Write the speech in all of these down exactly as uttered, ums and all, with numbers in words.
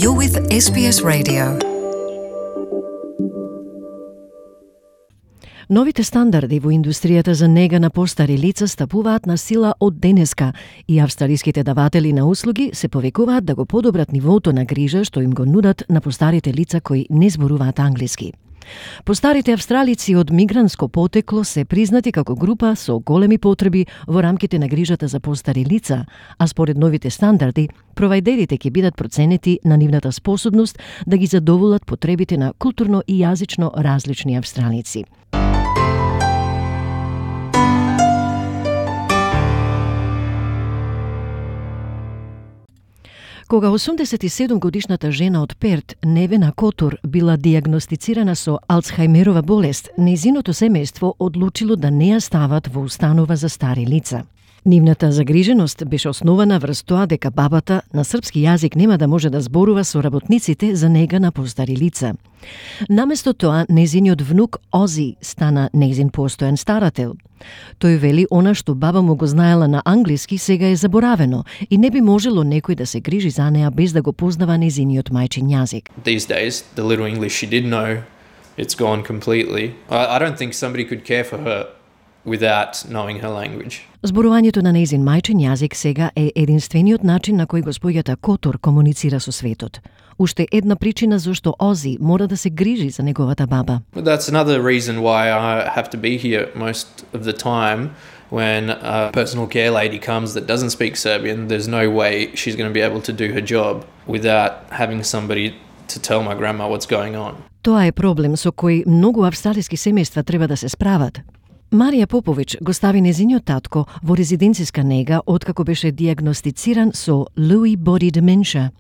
You're with S B S Radio. Новите стандарди во индустријата за нега на постари лица стапуваат на сила од денеска и австралиските даватели на услуги се повикуваат да го подобрат нивото на грижа што им го нудат на постарите лица кои не зборуваат англиски. Постарите австралици од мигрантско потекло се признати како група со големи потреби во рамките на грижата за постари лица, а според новите стандарди, провајдерите ќе бидат проценети на нивната способност да ги задоволат потребите на културно и јазично различни австралици. Кога осумдесет и седум годишната жена од Перт, Невена Котур, била диагностицирана со Алцхајмерова болест, нејзиното семејство одлучило да не ја стават во установа за стари лица. Нивната загриженост беше основана врз тоа дека бабата на српски јазик нема да може да зборува со работниците за нега на постари лица. Наместо тоа, нејзиниот внук Ози стана нејзин постојан старател. Тој вели она што баба му го знаела на англиски сега е заборавено и не би можело некој да се грижи за неа без да го познава нејзиниот мајчин јазик. These days, the little English she did know, it's gone completely. I, I don't think somebody could care for her without knowing her language. Зборувањето на нејзин мајчин јазик сега е единствениот начин на кој госпоѓата Котур комуницира со светот. Уште една причина зашто Ози мора да се грижи за неговата баба. But that's another reason why I have to be here most of the time. When a personal care lady comes that doesn't speak Serbian, there's no way she's going to be able to do her job without having somebody to tell my grandma what's going on. Тоа е проблем со кој многу австралиски семејства треба да се справат. Марија Попович го стави нејзиниот татко во резиденциска нега откако беше диагностициран со Lewy body dementia.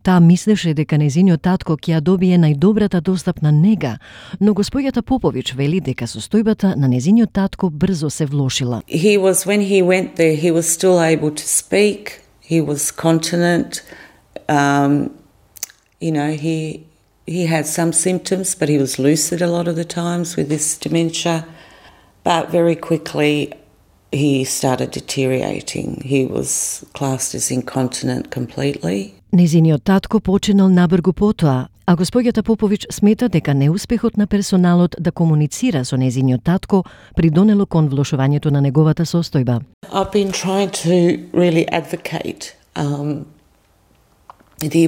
Таа мислеше дека нејзиниот татко ќе ја добие најдобрата достапна нега, но госпоѓата Попович вели дека состојбата на нејзиниот татко брзо се влошила. He was, when he went there, he was still able to speak, he was continent, um, you know, he, he had some symptoms, but he was lucid a lot of the times with this dementia. But very quickly he started deteriorating. He was classed as incontinent completely. Нејзиниот татко починал набргу потоа, а госпоѓата Попович смета дека неуспехот на персоналот да комуницира со нејзиниот татко придонело кон влошувањето на неговата состојба. I've been trying to really advocate um, the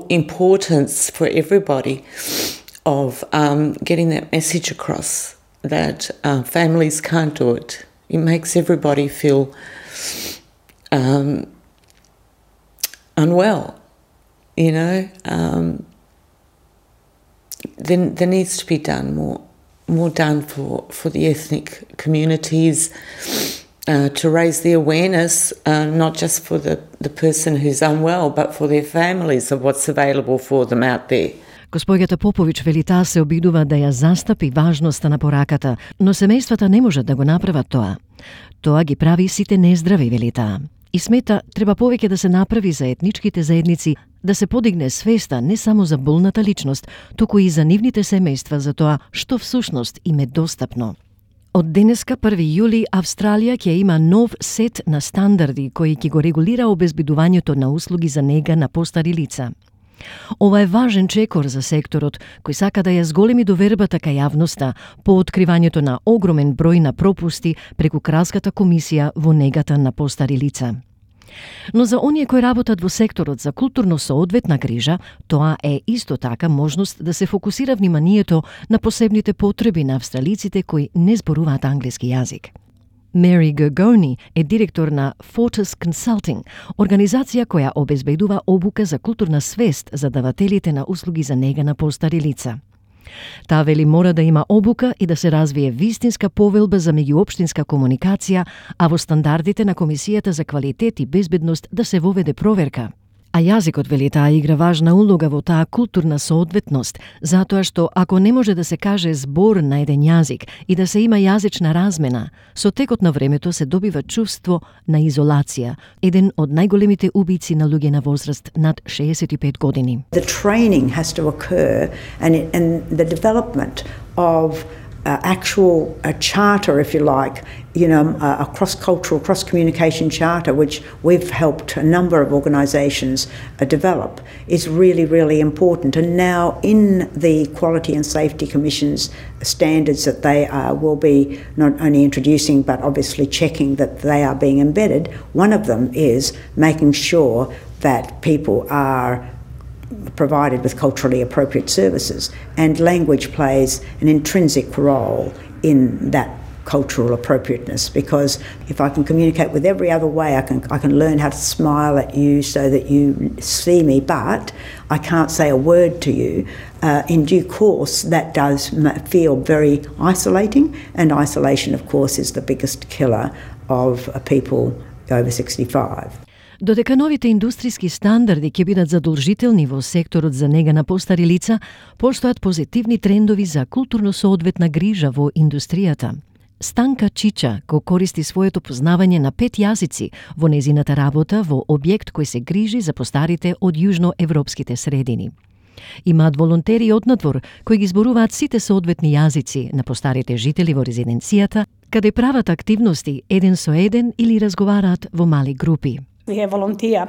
importance for everybody of um, getting that message across. That uh, families can't do it. It makes everybody feel um, unwell, you know. Um, there, there needs to be done more, more done for, for the ethnic communities uh, to raise the awareness, uh, not just for the, the person who's unwell, but for their families of what's available for them out there. Госпоѓата Попович вели таа се обидува да ја застапи важноста на пораката, но семејствата не можат да го направат тоа. Тоа ги прави сите нездрави, вели таа. И смета, треба повеќе да се направи за етничките заедници, да се подигне свеста не само за болната личност, туку и за нивните семејства за тоа што всушност им е достапно. Од денеска, први јули, Австралија ќе има нов сет на стандарди кои ќе го регулира обезбедувањето на услуги за нега на постари лица. Ова е важен чекор за секторот, кој сака да ја зголеми довербата кај јавноста по откривањето на огромен број на пропусти преку Кралската комисија во негата на постари лица. Но за оние кои работат во секторот за културно соодветна грижа, тоа е исто така можност да се фокусира вниманието на посебните потреби на австралиците кои не зборуваат англиски јазик. Mary Gergoni е директор на Fortis Consulting, организација која обезбедува обука за културна свест за давателите на услуги за нега на постари лица. Таа вели мора да има обука и да се развие вистинска повелба за меѓуопштинска комуникација, а во стандардите на Комисијата за квалитет и безбедност да се воведе проверка. А јазикот, вели таа, игра важна улога во таа културна соодветност, затоа што ако не може да се каже збор на еден јазик и да се има јазична размена, со текот на времето се добива чувство на изолација, еден од најголемите убици на луѓе на возраст над шеесет и пет години. The training has to occur and, it, and the development of uh, actual a charter, if you like, you know, a, a cross-cultural, cross-communication charter, which we've helped a number of organisations uh, develop, is really, really important. And now in the Quality and Safety Commission's standards that they uh, will be not only introducing but obviously checking that they are being embedded, one of them is making sure that people are provided with culturally appropriate services, and language plays an intrinsic role in that cultural appropriateness, because if I can communicate with every other way, I can I can learn how to smile at you so that you see me, but I can't say a word to you. Uh, in due course, that does feel very isolating, and isolation, of course, is the biggest killer of uh, people over sixty-five. Додека новите индустријски стандарди ќе бидат задолжителни во секторот за нега на постари лица, постојат позитивни трендови за културно соодветна грижа во индустријата. Станка Чича го користи своето познавање на пет јазици во незината работа во објект кој се грижи за постарите од јужноевропските средини. Имаат волонтери однадвор кои ги зборуваат сите соодветни јазици на постарите жители во резиденцијата, каде прават активности еден со еден или разговараат во мали групи. We have volunteers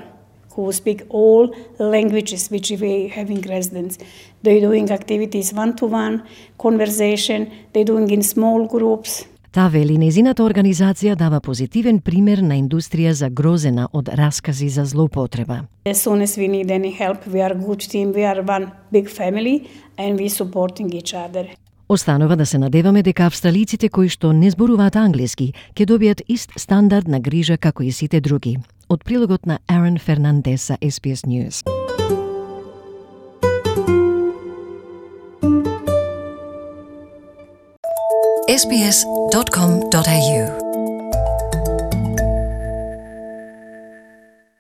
who speak all languages which we have in residence. They're doing activities one-to-one, conversation, they're doing in small groups. Та вели незината организација дава позитивен пример на индустрија загрозена од раскази за злоупотреба. As soon as we need any help, we are a good team, we are one big family and we supporting each other. Останува да се надеваме дека австралиците кои што не зборуваат англиски ќе добијат ист стандард на грижа како и сите други. Од прилогот на Арен Фернандес за S B S News. S B S dot com dot A U